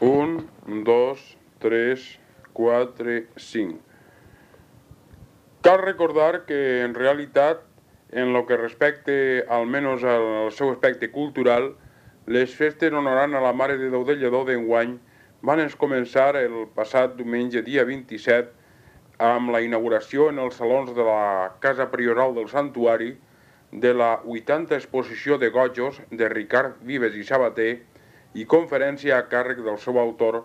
1, 2, 3, 4, 5. Cal recordar que en realitat, en lo que respecte almenys al seu aspecte cultural, les festes honorant a la Mare de Déu de Lledó d'enguany van començar el passat diumenge dia 27 amb la inauguració en els salons de la Casa Prioral del Santuari de la 80a exposició de gojos de Ricard Vives i Sabater i conferència a càrrec del seu autor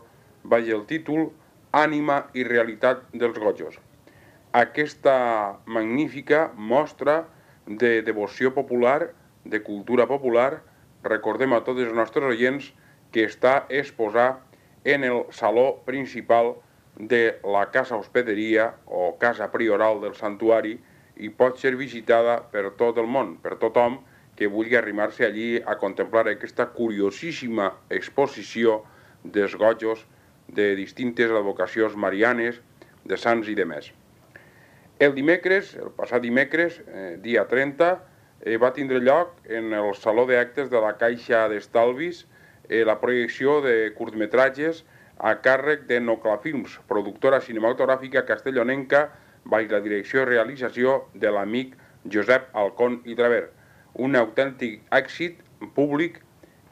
baix el títol Ànima i realitat dels gojos. Aquesta magnífica mostra de devoció popular, de cultura popular, recordem a tots els nostres oients que està exposat en el saló principal de la Casa Hospederia o Casa Prioral del Santuari i pot ser visitada per tot el món, per tothom que vulgui arrimar-se allí a contemplar aquesta curiosíssima exposició dels gojos de distintes advocacions marianes, de sants i de més. El dimecres, el passat dimecres, dia 30, va tindre lloc en el Saló d'Actes de la Caixa d'Estalvis la projecció de curtmetratges a càrrec de Noclafilms, productora cinematogràfica castellonenca, baix la direcció i realització de l'amic Josep Alcón i Traver. Un autèntic èxit públic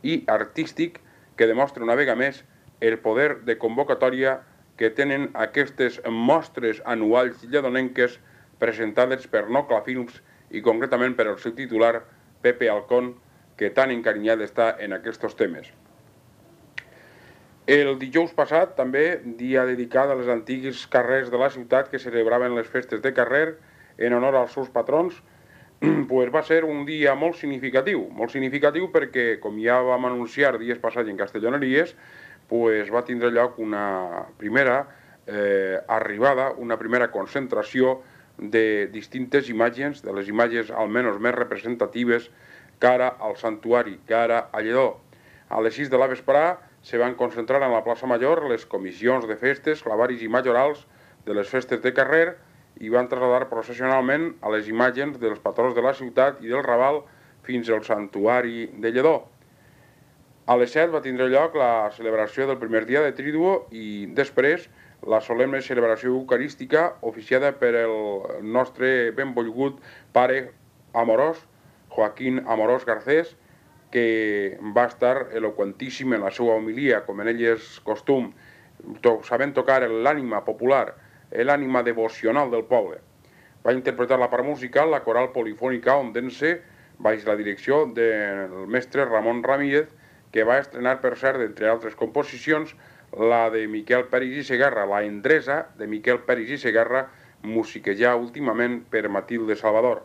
i artístic que demostra una vegada més el poder de convocatòria que tenen aquestes mostres anuals lledonenques presentades per Noclafilms i concretament per el seu titular, Pepe Alcón, que tan encarinyat està en aquests temes. El dijous passat, també, dia dedicat a les antigues carrers de la ciutat que celebraven les festes de carrer en honor als seus patrons, pues va ser un dia molt significatiu perquè, com ja vam anunciar dies passats en Castelloneries, pues va tindre lloc una primera arribada, una primera concentració de distintes imatges, de les imatges almenys més representatives cara al santuari, cara a Lledó. A les 6 de la vesprà se van concentrar en la plaça Major les comissions de festes, clavaris i majorals de les festes de carrer i van traslladar processionalment a les imatges dels patrons de la ciutat i del Raval fins al santuari de Lledó. A les 7 va tindre lloc la celebració del primer dia de Tríduo i després la solemne celebració eucarística oficiada per el nostre benvolgut pare amorós, Joaquín Amorós Garcés, que va estar eloqüentíssim en la seva homilia, com en ell és costum, sabent tocar l'ànima popular, l'ànima devocional del poble. Va interpretar la part musical, la coral polifònica Ondense, baix la direcció del mestre Ramon Ramírez, que va estrenar, per cert, entre altres composicions, la de Miquel Peris i Segarra, la Endresa de Miquel Peris i Segarra, musiquejada últimament per Matilde Salvador.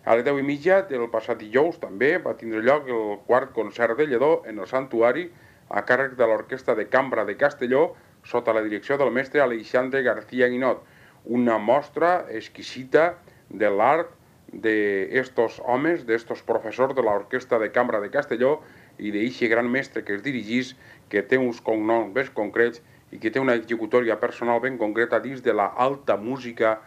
A les 10:30 del passat dijous també va tindre lloc el quart concert de Lledó en el santuari a càrrec de l'Orquestra de Cambra de Castelló sota la direcció del mestre Alexandre García Guinot. Una mostra exquisita de l'art d'estos homes, d'estos professors de l'Orquestra de Cambra de Castelló i d'eixe gran mestre que es dirigís, que té uns cognoms ben concrets i que té una executòria personal ben concreta dins de la alta música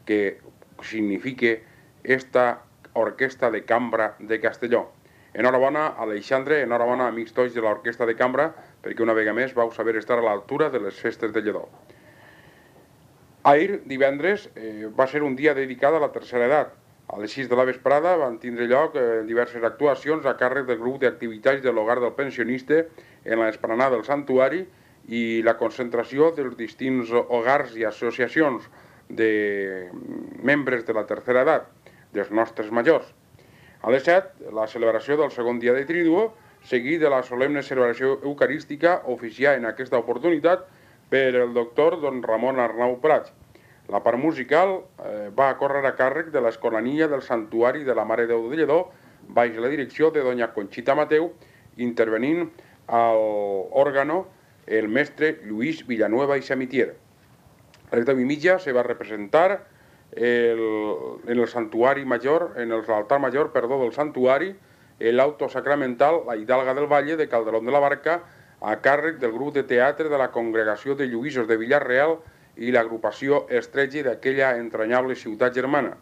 que significa esta Orquestra de Cambra de Castelló. Enhorabona, Alexandre, enhorabona, amics tots de l'Orquestra de Cambra, perquè una vegada més vau saber estar a l'altura de les festes de Lledó. Ahir, divendres, va ser un dia dedicat a la tercera edat. A les 6 de la vesprada van tindre lloc diverses actuacions a càrrec del grup d'activitats de l'Hogar del Pensionista en l'esplanada del santuari i la concentració dels distints hogars i associacions de membres de la tercera edat, dels nostres majors. A les 7, la celebració del segon dia de Tríduo, seguit de la solemne celebració eucarística oficiada en aquesta oportunitat per el doctor don Ramon Arnau Prats. La part musical va córrer a càrrec de l'Escolania del Santuari de la Mare de Déu de Lledó, baix la direcció de doña Conxita Mateu, intervenint al òrgano el mestre Lluís Villanueva i Samitier. A les 10:30 se va representar en el santuari major, en l'altar major, del santuari, l'auto sacramental, la Hidalga del Valle de Calderón de la Barca, a càrrec del grup de teatre de la Congregació de Lluïsos de Villarreal i l'agrupació Estretge d'aquella entranyable ciutat germana.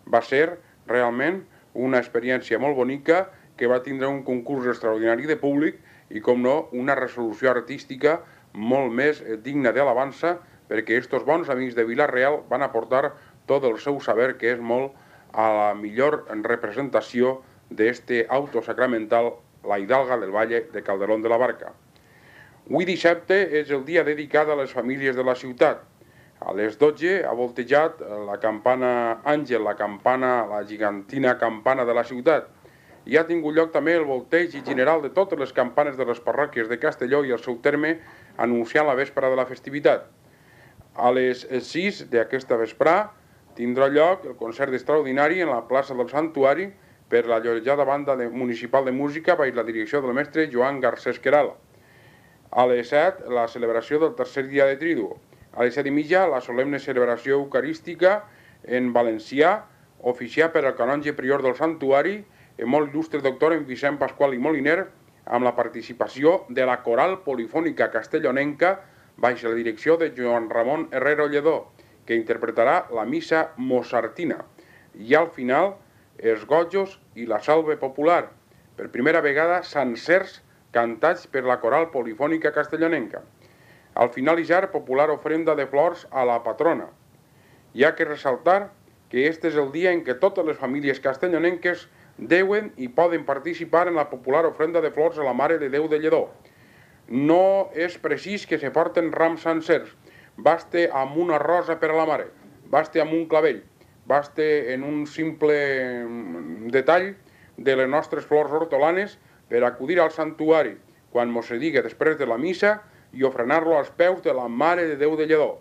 Va ser realment una experiència molt bonica que va tindre un concurs extraordinari de públic i, com no, una resolució artística molt més digna d'alabança, perquè estos bons amics de Vila-real van aportar tot el seu saber, que és molt a la millor representació d'este auto sacramental, la Hidalga del Valle de Calderón de la Barca. Avui dissabte és el dia dedicat a les famílies de la ciutat. A les 12 ha voltejat la campana Àngel, la gigantina campana de la ciutat. I ha tingut lloc també el volteig general de totes les campanes de les parròquies de Castelló i el seu terme, anunciant la véspera de la festivitat. A les 6 d'aquesta vesprà tindrà lloc el concert extraordinari en la plaça del Santuari per la llorejada banda municipal de música baix la direcció del mestre Joan Garcés Queralt. A les 7, la celebració del tercer dia de Triduo. A les 7:30, la solemne celebració eucarística en valencià, oficiat per el canonge prior del Santuari, el molt il·lustre doctor en Vicent Pasqual i Moliner, amb la participació de la coral polifònica castellonenca baix la direcció de Joan Ramon Herrero Lledó, que interpretarà la missa mozartina. I al final, els gojos i la salve popular, per primera vegada sencers cantats per la coral polifònica castellonenca. Al finalitzar, popular ofrenda de flors a la patrona. Hi ha que ressaltar que este és el dia en què totes les famílies castellonenques deuen i poden participar en la popular ofrenda de flors a la Mare de Déu de Lledó. No és precís que se porten rams sencers, baste amb una rosa per a la Mare, baste amb un clavell, baste en un simple detall de les nostres flors hortolanes per acudir al santuari quan mos se diga després de la missa i ofrenar-lo als peus de la Mare de Déu de Lledó.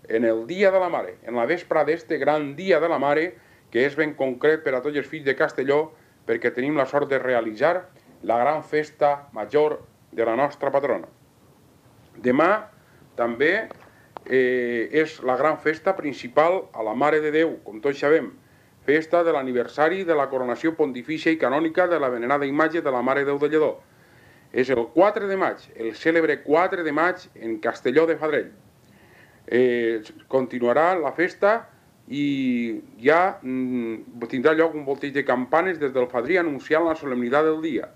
En el dia de la Mare, en la vespra d'este gran dia de la Mare, que és ben concret per a tots els fills de Castelló, perquè tenim la sort de realitzar la gran festa major de la nostra patrona. Demà també és la gran festa principal a la Mare de Déu, com tots sabem, festa de l'aniversari de la coronació pontifícia i canònica de la venerada imatge de la Mare de Déu de Lledó. És el 4 de maig, el cèlebre 4 de maig en Castelló de Fadrell. Continuarà la festa i ja tindrà lloc un volteig de campanes des del Fadrí anunciant la solemnitat del dia.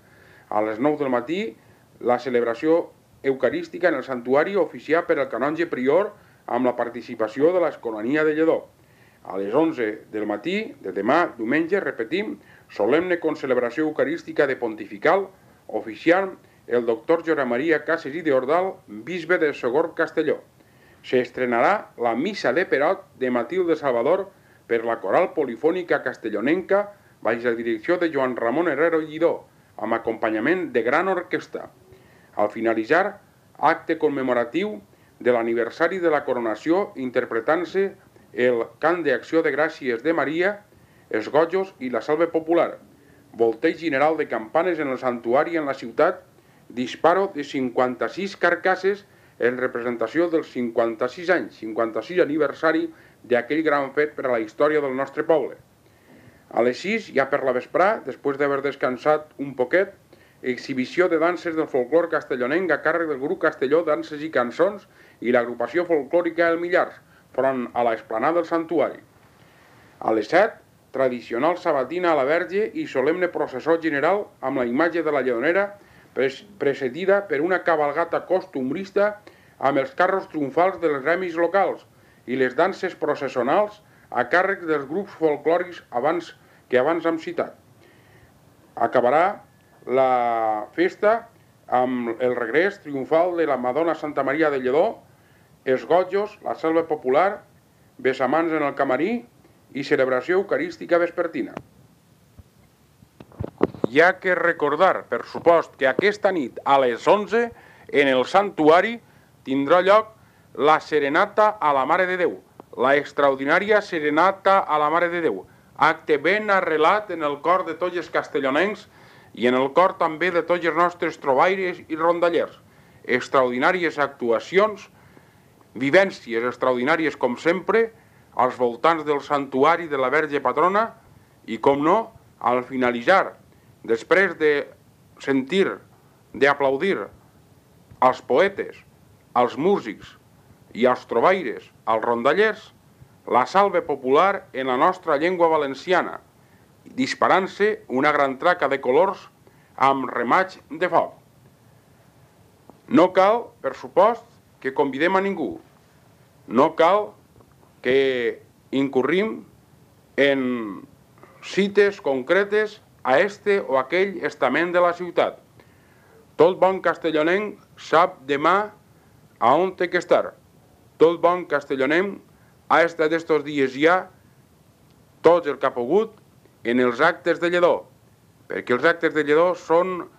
A les 9 del matí, la celebració eucarística en el santuari oficiat per el canonge prior amb la participació de l'Escolania de Lledó. A les 11 del matí de demà, diumenge, repetim, solemne concelebració eucarística de Pontifical, oficiant el doctor Josep Maria Cases i d'Ordal, bisbe de Sogorb Castelló. S'estrenarà la missa de Perot de Matilde Salvador per la coral polifònica castellonenca baix la direcció de Joan Ramon Herrero Lledó, amb acompanyament de gran orquestra. Al finalitzar, acte commemoratiu de l'aniversari de la coronació interpretant-se el cant d'acció de gràcies de Maria, els gojos i la salve popular, volteig general de campanes en el santuari en la ciutat, disparo de 56 carcasses en representació dels 56 anys, 56 aniversari d'aquell gran fet per a la història del nostre poble. A les 6, ja per la vesprà, després d'haver descansat un poquet, exhibició de danses del folclor castellonenc a càrrec del grup Castelló Danses i Cançons i l'agrupació folclòrica El Millars, front a l'esplanada del santuari. A les 7, tradicional sabatina a la Verge i solemne processó general amb la imatge de la Lledonera precedida per una cabalgata costumbrista amb els carros triomfals dels gremis locals i les danses processionals a càrrec dels grups folclòrics que abans hem citat. Acabarà la festa amb el regrés triomfal de la Madonna Santa Maria de Lledó, els gojos, la salve popular, besamans en el camarí i celebració eucarística vespertina. Hi ha que recordar, per supost, que aquesta nit a les 11 en el santuari tindrà lloc la serenata a la Mare de Déu, la extraordinària serenata a la Mare de Déu, acte ben arrelat en el cor de tots els castellonencs i en el cor també de tots els nostres trobaires i rondallers. Extraordinàries actuacions, vivències extraordinàries com sempre, als voltants del santuari de la Verge Patrona i, com no, al finalitzar, després de sentir, d'aplaudir als poetes, als músics i als trobaires, als rondallers, la salve popular en la nostra llengua valenciana, disparant-se una gran traca de colors amb remaig de foc. No cal, per supost, que convidem a ningú. No cal que incurrim en cites concretes a este o aquell estament de la ciutat. Tot bon castellonenc sap demà a on té que estar. Tot bon castellonenc ha estat estos dies ja tots el que ha pogut en els actes de Lledó, perquè els actes de Lledó són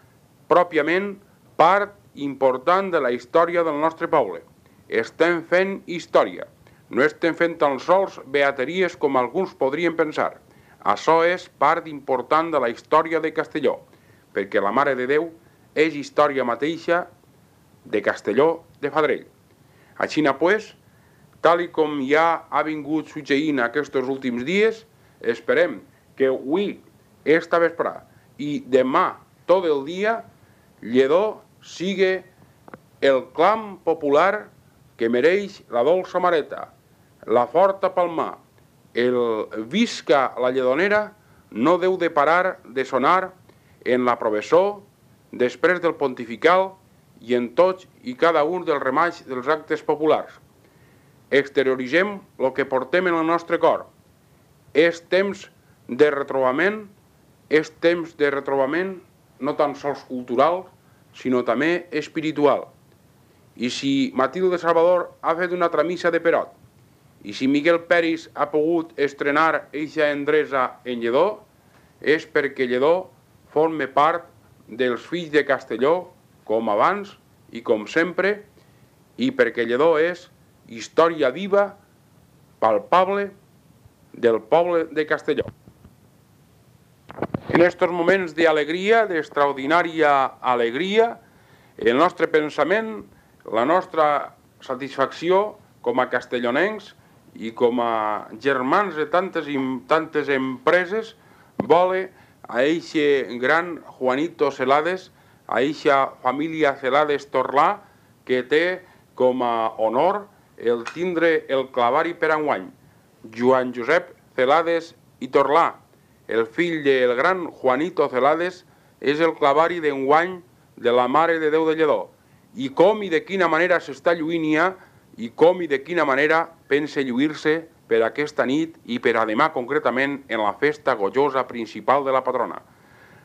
pròpiament part important de la història del nostre poble. Estem fent història, no estem fent tan sols beateries com alguns podrien pensar. Això és part important de la història de Castelló, perquè la Mare de Déu és història mateixa de Castelló de Fadrell. Així pues, tal com ja ha vingut succeint aquests últims dies, esperem que avui, esta vesprà i demà tot el dia, Lledó sigui el clam popular que mereix la dolça Mareta, la forta Palmar. El visca la Lledonera no deu de parar de sonar en la professó, després del pontifical i en tots i cada un dels remats dels actes populars. Exterioritzem el que portem en el nostre cor. És temps de retrobament, no tan sols cultural, sinó també espiritual. I si Matilde Salvador ha fet una altra missa de Perot, i si Miguel Peris ha pogut estrenar eixa endresa en Lledó, és perquè Lledó forma part dels fills de Castelló, com abans i com sempre, i perquè Lledó és història viva, palpable, del poble de Castelló. En estos moments d'alegria, d'extraordinària alegria, el nostre pensament, la nostra satisfacció com a castellonencs i com a germans de tantes empreses vola a eixe gran Juanito Celades, a eixa família Celades Torlà, que té com a honor el tindre el clavari per enguany. Joan Josep Celades i Torlà, el fill del gran Juanito Celades, és el clavari d'enguany de la Mare de Déu de Lledó. I com i de quina manera s'està lluint ja, i com i de quina manera pensa lluir-se per aquesta nit i per a demà concretament en la festa gollosa principal de la patrona.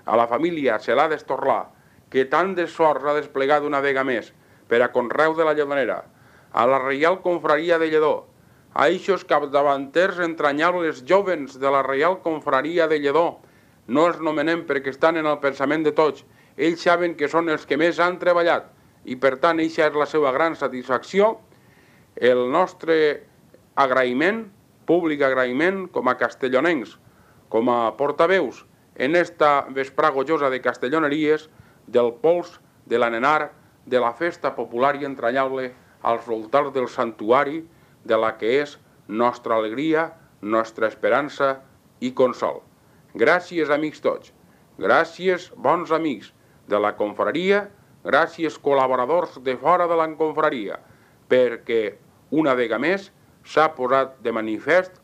A la família Celades Torlà, que tant d'esforç ha desplegat una vegada més per a conreu de la Lledonera, a la Reial Confraria de Lledó, a eixos capdavanters entranyables jovens de la Reial Confraria de Lledó, no els nomenem perquè estan en el pensament de tots, ells saben que són els que més han treballat i per tant eixa és la seva gran satisfacció, el nostre agraïment, públic agraïment com a castellonencs, com a portaveus en esta vesprà gollosa de castelloneries, del pols, de l'anenar, de la festa popular i entranyable als voltants del santuari, de la que és nostra alegria, nostra esperança i consol. Gràcies, amics tots. Gràcies, bons amics de la confraria, gràcies, col·laboradors de fora de la confraria, perquè una vegada més s'ha posat de manifest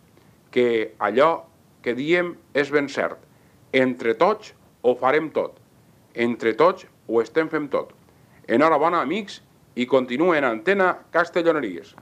que allò que diem és ben cert. Entre tots ho farem tot. Entre tots ho estem fent tot. Enhorabona, amics, i continuen en Antena Castelloneries.